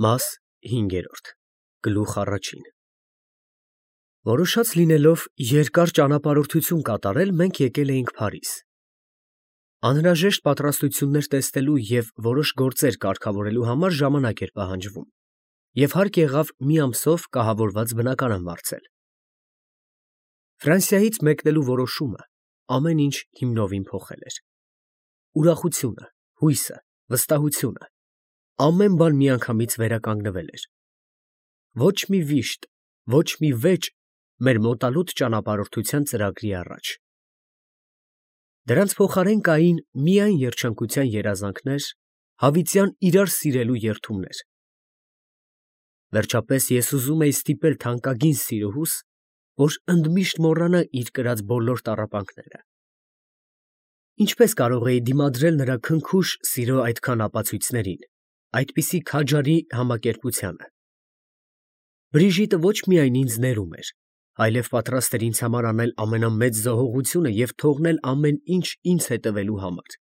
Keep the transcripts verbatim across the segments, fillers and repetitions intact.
Մաս հինգերորդ, գլուխ առաջին Որոշած լինելով երկար ճանապարհորդություն կատարել, մենք եկել էինք Փարիզ. անհրաժեշտ պատրաստություններ տեսնելու և որոշ գործեր կարգավորելու համար ժամանակ էր պահանջվում, և հարկ եղավ մի ամսով կահավորված բնակարան վարձել։ Ֆրանսիայից մեկնելու որոշումը ամեն ինչ հիմնովին փոխել էր. ուրախությունը, հույսը, վստահությունը, ամեն բան միանգամից վերականգնվել էր։ Ոչ մի վիշտ, ոչ մի վեճ մեր մոտալուտ ճանապարհորդության ծրագրի առաջ։ Դրանց փոխարեն կային միայն երջանկության երազանքներ, հավիտյան իրար սիրելու երդումներ։ Վերջապես ես ուզում էի ստիպել թանկագին սիրուհուս, որ ընդմիշտ մոռանա իր կրած բոլոր տառապանքները։ Ինչպես կարող էի դիմադրել նրա քնքուշ սիրո այդքան ապացույցներին, այդպիսի քաջարի համակերպությանը։ Բրիժիտը ոչ միայն ինձ ներում էր, այլև պատրաստ էր ինձ համար անել ամենամեծ զոհողությունը և թողնել ամեն ինչ ինձ հետևելու համար։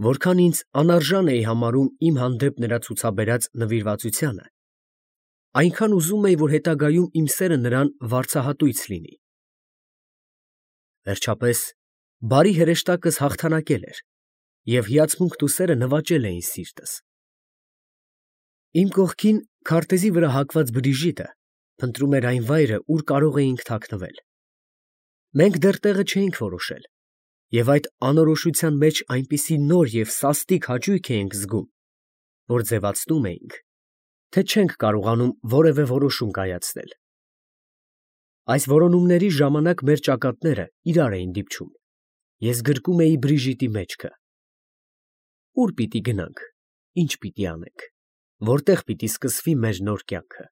Որքան ինձ անարժան էի համարում իմ հանդեպ նրա ցուցաբերած նվիրվածությանը, այնքան ուզում էի, որ հետագայում իմ սերը նրան վարձահատույց լինի։ Վերջապես, բարի հրեշտակս հաղթանակել էր, և հիացմունքն ու սերը նվաճել էին սիրտս։ Իմ կողքին քարտեզի վրա հակված Բրիժիտը փնտրում էր այն վայրը, ուր կարող էինք թաքնվել։ Մենք դեռ տեղը չէինք որոշել, և այդ անորոշության մեջ այնպիսի նոր և սաստիկ հաճույք էինք զգում, որ ձևացնում էինք, թե չենք կարողանում որևէ որոշում կայացնել։ Այս որոնումների ժամանակ մեր ճակատները իրար էին դիպչում, ես գրկում էի Բրիժիտի մեջքը։ Ո՞ւր պիտի գնանք, ի՞նչ պիտի անենք, որտե՞ղ պիտի սկսվի մեր նոր կյանքը։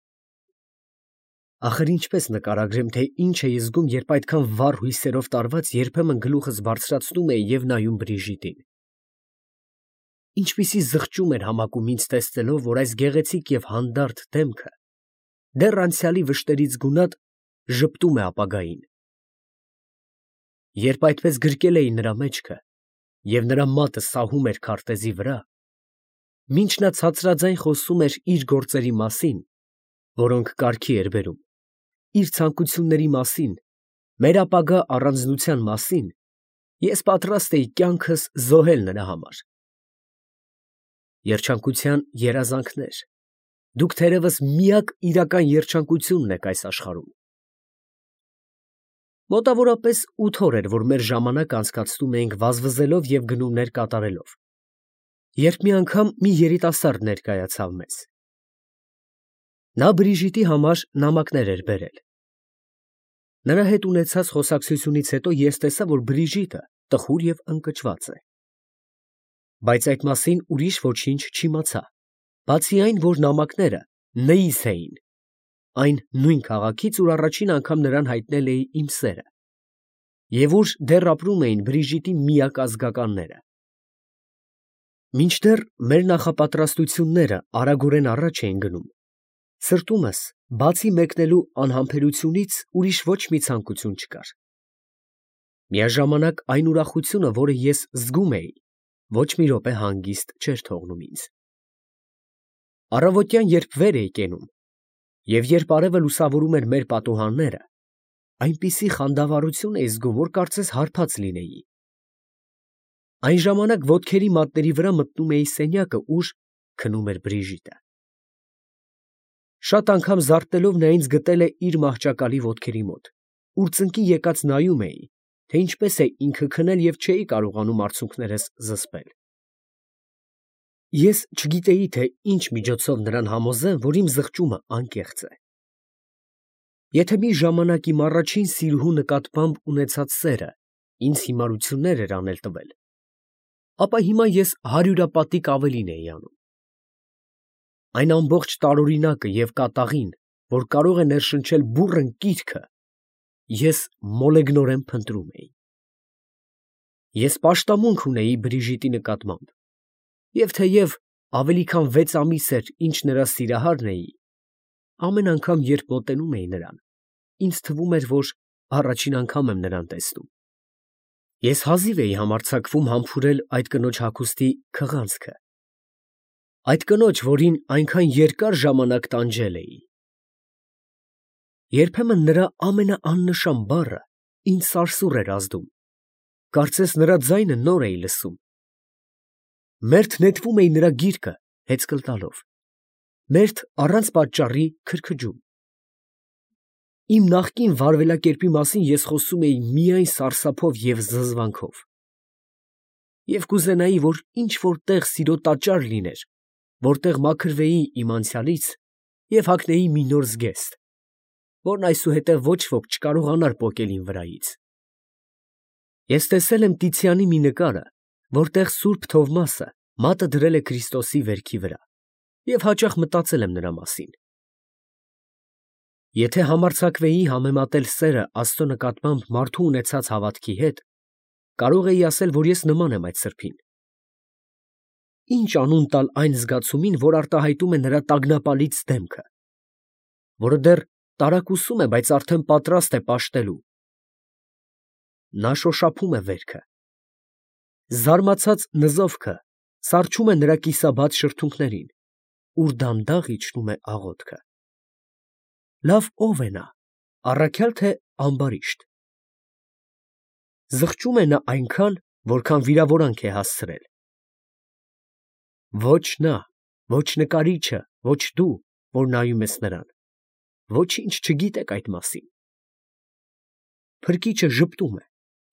Ախր ինչպես նկարագրեմ, թե ինչ էի զգում, երբ այդքան վառ հույսերով տարված երբեմն գլուխս բարձրացնում էի և նայում Բրիժիտին։ Ինչպիսի զղջում էր համակում ինձ տեսնելով, որ այս գեղեցիկ և հանդարտ դեմքը դեռ անցյալի վշտերից գունատ ժպտում է ապագային։ Երբ այդպես գրկել էի նրա մեջքը, և նրա մատը սահում էր քարտեզի վրա, մինչ նա ցածրաձայն խոսում էր իր գործերի մասին, որոնք կարգի էր բերում, իր ցանկությունների մասին, մեր ապագա առանձնության մասին, ես պատրաստ էի կյանքս զոհել նրա համար։ Երջանկության երազանքներ, դուք թերևս միակ իրական երջանկությունն եք այս աշխարհում։ Մոտավորապես ութ օր էր, որ մեր ժամանակը անցկացնում էինք վազվզելով և գնումներ կատարելով, երբ մի անգամ մի երիտասարդ ներկայացավ մեզ։ Նա Բրիժիտի համար նամակներ էր բերել։ Նրա հետ ունեցած խոսակցությունից հետո ես տեսա, որ Բրիժիտը տխուր և ընկճված է։ Բայց այդ մասին ուրիշ ոչինչ չիմացա, բացի այն, որ նամակները Ն.-ից էին, այն նույն քաղաքից, ուր առաջին անգամ նրան հայտնել էի իմ սերը, և ուր դեռ ապրում էին Բրիժիտի միակ ազգականները։ Մինչդեռ մեր նախապատրաստությունները արագորեն առաջ էին գնում, սրտումս, բացի մեկնելու անհամբերությունից, ուրիշ ոչ մի ցանկություն չկար։ Միաժամանակ այն ուրախությունը, որը ես զգում էի, ոչ մի րոպե հանգիստ չէր թողնում ինձ։ Առավոտյան, երբ վեր էի կենում, և երբ արևը լուսավորում էր մեր պատուհանները, այնպիսի խանդավառություն էի զգում, որ կարծես հարբած լինեի։ Այն ժամանակ ոտքերի մատների վրա մտնում էի սենյակը, ուր քնում էր Բրիժիտը։ Շատ անգամ զարթնելով նա ինձ գտել է իր մահճակալի ոտքերի մոտ, ուր ծնկի եկած նայում էի, թե ինչպես է ինքը քնել և չէի կարողանում արցունքներս զսպել։ Ես չգիտեի, թե ինչ միջոցով նրան համոզեմ, որ իմ զղջումը անկեղծ է։ Եթե մի ժամանակ իմ առաջին սիրուհու նկատմամբ ունեցած սերը ինձ հիմարություններ էր անել տվել, ապա հիմա ես հարյուրապատիկ ավելին էի անում։ Այն ամբողջ տարօրինակը և կատաղին, որ կարող է ներշնչել բուռն կիրքը, ես մոլեգնորեն փնտրում էի։ Ես պաշտամունք ունեի Բրիժիտի նկատմամբ, և թեև ավելի քան վեց ամիս էր, ինչ նրա սիրահարն էի, ամեն անգամ, երբ մոտենում էի նրան, ինձ թվում էր, որ առաջին անգամ եմ նրան տեսնում։ Ես հազիվ էի համարձակվում համբուրել այդ կնոջ հագուստի քղանցքը, Այդ կնոջ, որին այնքան երկար ժամանակ տանջել էի։ Երբեմն նրա ամենաաննշան բառը ինձ սարսուռ էր ազդում, կարծես նրա ձայնը նոր էի լսում։ Մերթ նետվում էի նրա գիրկը հեծկլ տալով, մերթ առանց պատճառի քրքջում։ Իմ նախկին վարվելակերպի մասին ես խոսում էի միայն սարսափով և զզվանքով, և կուզենայի, որ ինչ֊որ տեղ սիրո տաճար լիներ, որտեղ մաքրվեի իմ անցյալից և հագնեի մի նոր զգեստ, որն այսուհետև ոչ ոք չկարողանար պոկել իմ վրայից։ Ես տեսել եմ Տիցիանի մի նկարը, որտեղ Սուրբ Թովմասը մատը դրել է Քրիստոսի վերքի վրա, և հաճախ մտածել եմ նրա մասին։ Եթե համարձակվեի համեմատել սերը Աստծո նկատմամբ մարդու ունեցած հավատքի հետ, կարող էի ասել, որ ես նման եմ այդ սրբին։ Ինչ անուն տալ այն զգացումին, որ արտահայտում է նրա տագնապալից դեմքը, որը դեռ տարակուսում է, բայց արդեն պատրաստ է պաշտելու։ Նա շոշափում է վերքը։ Զարմացած նզովքը սառչում է նրա կիսաբաց շրթունքներին, ուր դանդաղ իջնում է աղոթքը։ Լավ ո՞վ է նա, առաքյալ թե ամբարիշտ։ Զղջում է նա այնքան, որքան վիրավորանք է հասցրել։ Ոչ նա, ոչ նկարիչը, ոչ դու, որ նայում ես նրան, ոչինչ չգիտեք այդ մասին։ Փրկիչը ժպտում է,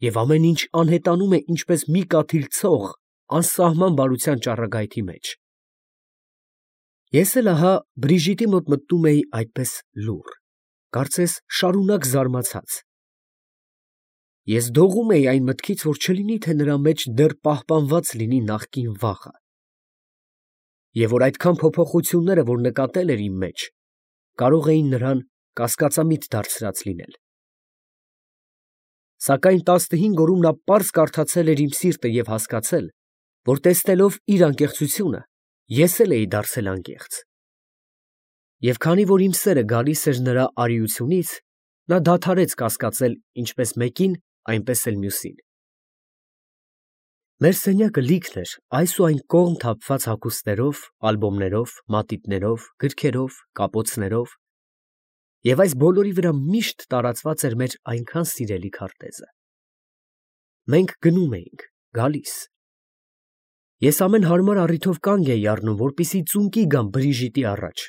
և ամեն ինչ անհետանում է ինչպես մի կաթիլ ցող անսահման բարության ճառագայթի մեջ։ Ես էլ ահա Բրիժիտի մոտ մտնում էի այդպես լուռ, կարծես շարունակ զարմացած։ Ես դողում էի այն մտքից, որ չլինի թե նրա մեջ դեռ պահպանված լինի նախկին վախը, և որ այդքան փոփոխությունները, որ նկատել էր իմ մեջ, կարող էին նրան կասկածամիտ դարձրած լինել։ Սակայն տասնհինգ օրում նա պարզ կարդացել էր իմ սիրտը և հասկացել, որ տեսնելով իր անկեղծությունը, ես էլ էի դարձել անկեղծ։ Եվ քանի որ իմ սերը գալիս էր նրա արիությունից, նա դադարեց կասկածել ինչպես մեկին, այնպես էլ մյուսին։ Մեր սենյակը լիքն էր այս ու այն կողմ թափված հագուստներով, ալբոմներով, մատիտներով, գրքերով, կապոցներով, և այս բոլորի վրա միշտ տարածված էր մեր այնքան սիրելի քարտեզը։ Մենք գնում էինք, գալիս։ Ես ամեն հարմար առիթով կանգ էի առնում, որպեսզի ծունկի գամ Բրիժիտի առաջ,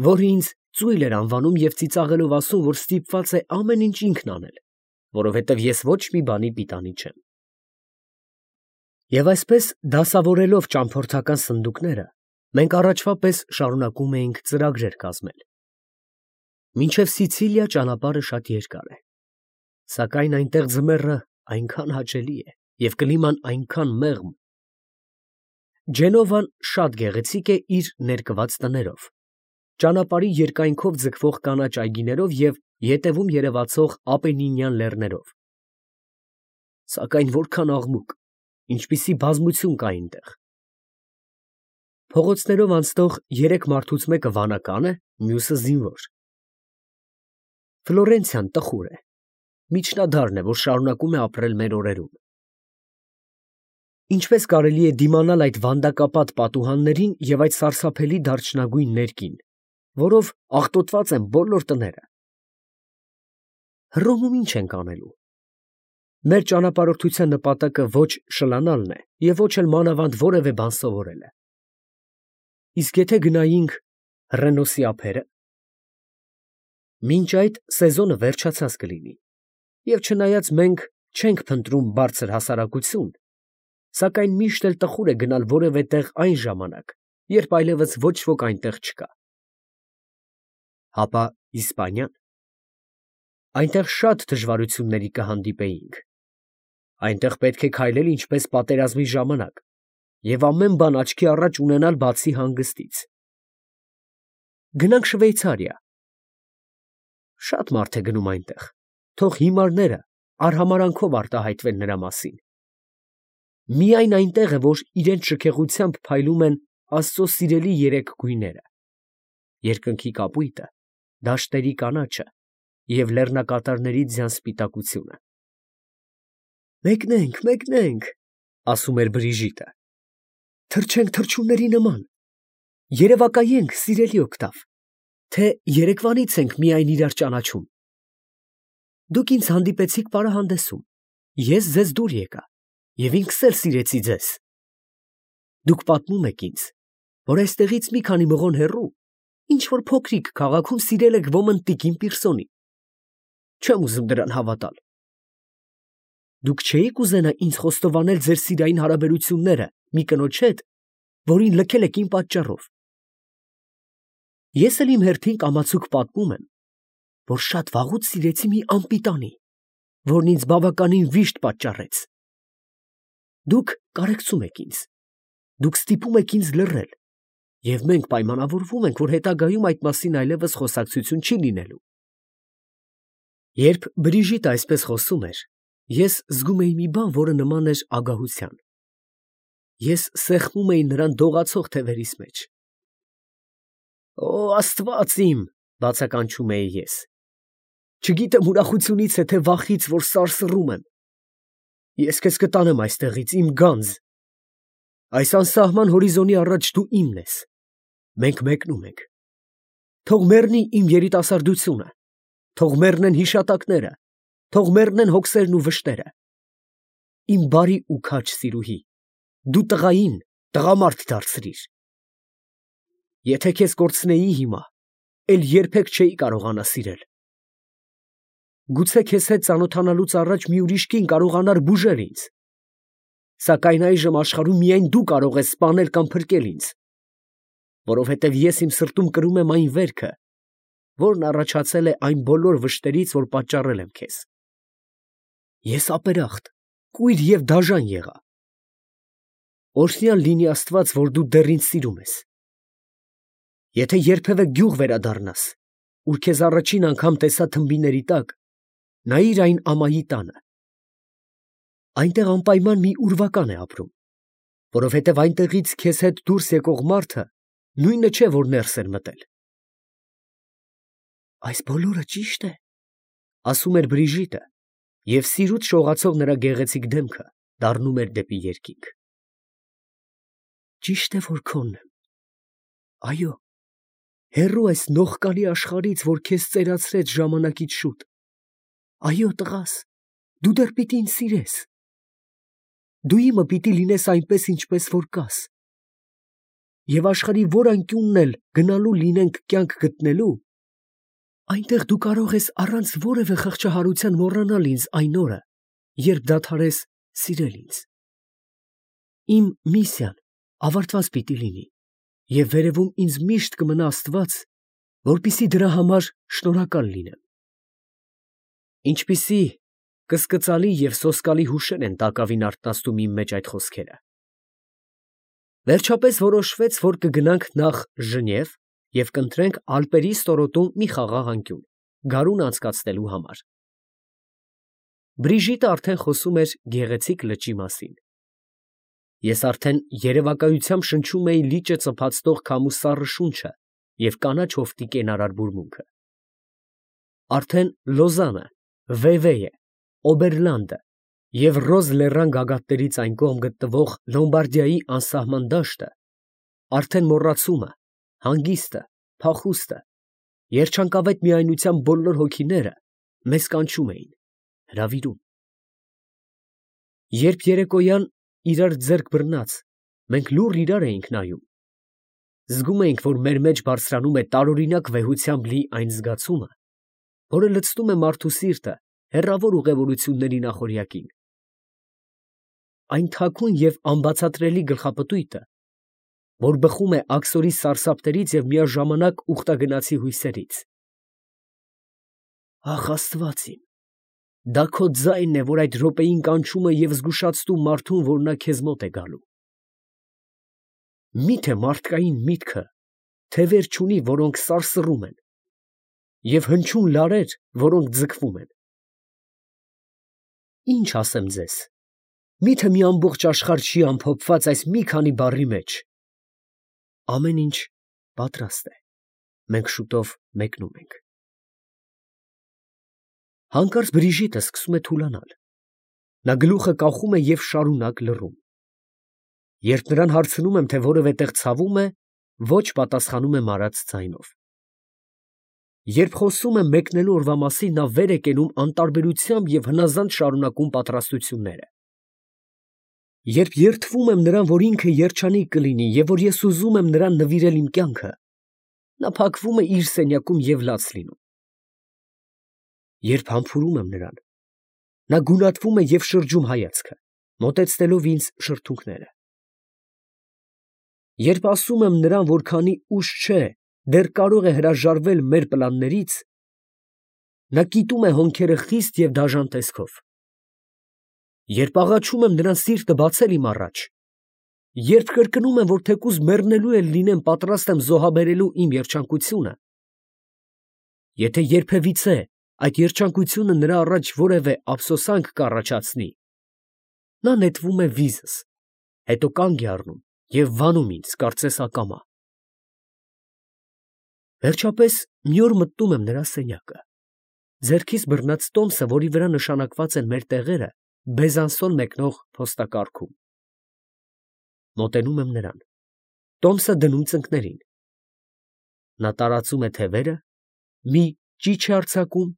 որը ինձ ծույլ էր անվանում և ծիծաղելով ասում, որ ստիպված է ամեն ինչ ինքն անել, որովհետև ես ոչ մի բանի պիտանի չեմ։ Եվ այսպես դասավորելով ճամփորդական սնդուկները, մենք առաջվա պես շարունակում էինք ծրագրեր կազմել։ Մինչև Սիցիլիա ճանապարհը շատ երկար է, սակայն այնտեղ ձմեռը այնքան հաճելի է և կլիման այնքան մեղմ։ Ջենովան շատ գեղեցիկ է իր ներկված տներով, ճանապարհի երկայնքով ձգվող կանաչ այգիներով և ետևում երևացող Ապենինյան լեռներով։ Սակայն որքան աղմուկ, ինչպիսի բազմություն կա այնտեղ։ Փողոցներով անցնող երեք մարդուց մեկը վանական է, մյուսը զինվոր։ Ֆլորենցիան տխուր է, միջնադարն է, որ շարունակում է ապրել մեր օրերում։ Ինչպես կարելի է դիմանալ այդ վանդակապատ պատուհաններին և այդ սարսափելի դարչնագույն ներկին, որով աղտոտված են բոլոր տները։ Հռոմում ինչ ենք անելու։ Մեր ճանապարհորդության նպատակը ոչ շլանալն է և ոչ էլ մանավանդ որևէ բան սովորելը։ Իսկ եթե գնայինք Հռենոսի ափերը։ Մինչ այդ սեզոնը վերջացած կլինի, և չնայած մենք չենք փնտրում բարձր հասարակություն, սակայն միշտ էլ տխուր է գնալ որևէ տեղ այն ժամանակ, երբ այլևս ոչ ոք այնտեղ չկա։ Հապա Իսպանիա՞ն։ Այնտեղ շատ դժվարությունների կհանդիպեինք։ Այնտեղ պետք է քայլել ինչպես պատերազմի ժամանակ և ամեն բան աչքի առաջ ունենալ բացի հանգստից։ Գնանք Շվեյցարիա։ Շատ մարդ է գնում այնտեղ, թող հիմարները արհամարհանքով արտահայտվեն նրա մասին։ Միայն այնտեղ է, որ իրենց շքեղությամբ փայլում են Աստծո սիրելի երեք գույները՝ երկնքի կապույտը, դաշտերի կանաչը և լեռնակատարների ձյան սպիտակությունը։ Մեկնենք, մեկնենք, ասում էր Բրիժիտը, թռչենք թռչունների նման, Երևակայենք, սիրելի Օկտավ, թե երեկվանից ենք միայն իրար ճանաչում։ Դուք ինձ հանդիպեցիք պարահանդեսում, ես ձեզ դուր եկա, և ինքս էլ սիրեցի ձեզ։ Դուք պատմում եք ինձ, որ այստեղից մի քանի մղոն հեռու, ինչ-որ փոքրիկ քաղաքում սիրել եք ոմն տիկին Պիրսոնին։ Չեմ ուզում դրան հավատալ։ Դուք չէիք ուզենա ինձ խոստովանել ձեր սիրային հարաբերությունները մի կնոջ հետ, որին լքել եք իմ պատճառով։ Ես էլ իմ հերթին կամացուկ պատմում եմ, որ շատ վաղուց սիրեցի մի անպիտանի, որն ինձ բավականին վիշտ պատճառեց։ Դուք կարեկցում եք ինձ, դուք ստիպում եք ինձ լռել, և մենք պայմանավորվում ենք, որ հետագայում այդ մասին այլևս խոսակցություն չի լինելու։ Երբ Բրիժիտը այսպես խոսում էր, ես զգում էի մի բան, որը նման էր ագահության։ Ես սեղմում էի նրան դողացող թևերիս մեջ։ «Օ, Աստված իմ», բացականչում էի ես, չգիտեմ ուրախությունից է, թե վախից, որ սարսռում եմ։ Ես քեզ կտանեմ այստեղից, իմ գանձ։ Այս անսահման հորիզոնի առաջ դու իմն ես։ Մենք մեկնում ենք։ Թող մեռնի իմ երիտասարդությունը, թող մեռնեն հիշատակները, թող մեռնեն հոգսերն ու վշտերը։ Իմ բարի ու քաջ սիրուհի, դու տղային տղամարդ դարձրիր։ Եթե քեզ կորցնեի հիմա, էլ երբեք չէի կարողանա սիրել։ Գուցե քեզ հետ ծանոթանալուց առաջ մի ուրիշ կին կարողանար բուժել ինձ, սակայն այժմ աշխարհում միայն դու կարող ես սպանել կամ փրկել ինձ, որովհետև ես իմ սրտում կրում եմ այն վերքը, որն առաջացել է այն բոլոր վշտերից, որ պատճառել եմ քեզ։ Ես ապերախտ, կույր և դաժան եղա։ Օրհնյալ լինի Աստված, որ դու դեռ ինձ սիրում ես։ Եթե երբևէ գյուղ վերադառնաս, ուր քեզ առաջին անգամ տեսա թմբիների տակ, նայիր այն ամայի տանը։ Այնտեղ անպայման մի ուրվական է ապրում, որովհետև այնտեղից քեզ հետ դուրս եկող մարդը նույնը չէ, որ ներս էր մտել։ Այս բոլորը ճի՞շտ է, ասում էր Բրիժիտը, և սիրուց շողացող նրա գեղեցիկ դեմքը դառնում էր դեպի երկինք։ Ճիշտ է, որ քոնն եմ։ Այո, հեռու այս նողկալի աշխարհից, որ քեզ ծերացրեց ժամանակից շուտ։ Այո, տղաս, դու դեռ պիտի ինձ սիրես։ Դու իմը պիտի լինես այնպես, ինչպես որ կաս։ Եվ աշխարհի որ անկյունն էլ գնալու լինենք կյանք գտնելու, այնտեղ դու կարող ես առանց որևէ խղճահարության մոռանալ ինձ այն օրը, երբ դադարես սիրել ինձ։ Իմ միսիան ավարտված պիտի լինի, և վերևում ինձ միշտ կմնա Աստված, որպեսզի դրա համար շնորհակալ լինեմ։ Ինչպիսի կսկծալի և սոսկալի հուշեր են տակավին արթնացնում իմ մեջ այդ խոսքերը։ Վերջապես որոշվեց, որ կգնանք նախ Ժնև և կընտրենք Ալպերի ստորոտում մի խաղաղ անկյուն, գարուն անցկացնելու համար։ Բրիժիտը արդեն խոսում էր գեղեցիկ լճի մասին։ Ես արդեն երևակայությամբ շնչում էի լիճը ծփացնող քամու սառը շունչը և կանաչ հովտի կենարար բուրմունքը։ Արդեն Լոզանը, Վևեյը, Օբերլանդը և Ռոզ լեռան գագաթներից այն կողմ գտնվող Լոմբարդիայի անսահման դաշտը, արդեն մոռացումը, հանգիստը, փախուստը, երջանկավետ միայնության բոլոր հոգիները մեզ կանչում էին, հրավիրում։ Երբ երեկոյան իրար ձեռք բռնած, մենք լուռ իրար էինք նայում, զգում էինք, որ մեր մեջ բարձրանում է տարօրինակ վեհությամբ լի այն զգացումը, որը լցնում է մարդու սիրտը հեռավոր ուղևորությունների նախօրյակին։ Այն թաքուն և անբացատրելի գլխապտույտը, որ բխում է աքսորի սարսափներից և միաժամանակ ուխտագնացի հույսերից։ Ախ, Աստված իմ, դա քո ձայնն է, որ այդ րոպեին կանչում է և զգուշացնում մարդուն, որ նա քեզ մոտ է գալու։ Մի՞թե մարդկային միտքը թևեր չունի, որոնք սարսռում են, և հնչյուն լարեր, որոնք ձգվում են։ Ինչ ասեմ ձեզ, մի՞թե մի ամբողջ աշխարհ չի ամփոփված այս մի քանի բառի մեջ. ամեն ինչ պատրաստ է, մենք շուտով մեկնում ենք։ Հանկարծ Բրիժիտը սկսում է թուլանալ։ Նա գլուխը կախում է և շարունակ լռում։ Երբ նրան հարցնում եմ, թե որևէ տեղ ցավում է, Ոչ պատասխանում է մարած ձայնով։ Երբ խոսում եմ մեկնելու օրվա մասին, նա վեր է կենում անտարբերությամբ և հնազանդ շարունակում պատրաստությունները։ Երբ երդվում եմ նրան, որ ինքը երջանիկ կլինի և որ ես ուզում եմ նրան նվիրել իմ կյանքը, նա փակվում է իր սենյակում և լաց լինում։ Երբ համբուրում եմ նրան, նա գունատվում է և շրջում հայացքը, մոտեցնելով ինձ շրթունքները։ Երբ ասում եմ նրան, որ քանի ուշ չէ, դեռ կարող է հրաժարվել մեր պլաններից, նա կիտում է հոնքերը խիստ և դաժան տեսքով։ Երբ աղաչում եմ նրան սիրտը բացել իմ առաջ, երբ կրկնում եմ, որ թեկուզ մեռնելու էլ լինեմ, պատրաստ եմ զոհաբերելու իմ երջանկությունը, եթե երբևիցե այդ երջանկությունը նրա առաջ որևէ ափսոսանք կառաջացնի, նա նետվում է վիզս, հետո կանգ է առնում և վանում ինձ, կարծես ակամա։ Վերջապես մի օր մտնում եմ նրա սենյակը, ձեռքիս բռնած տոմսը, որի վրա նշանակված են մեր տեղերը, Բեզանսոն մեկնող փոստակառքում։ Մոտենում եմ նրան, տոմսը դնում ծնկներին։ Նա տարածում է թևերը, մի ճիչ է արձակում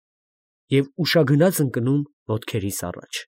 և ուշագնաց ընկնում ոտքերիս առաջ։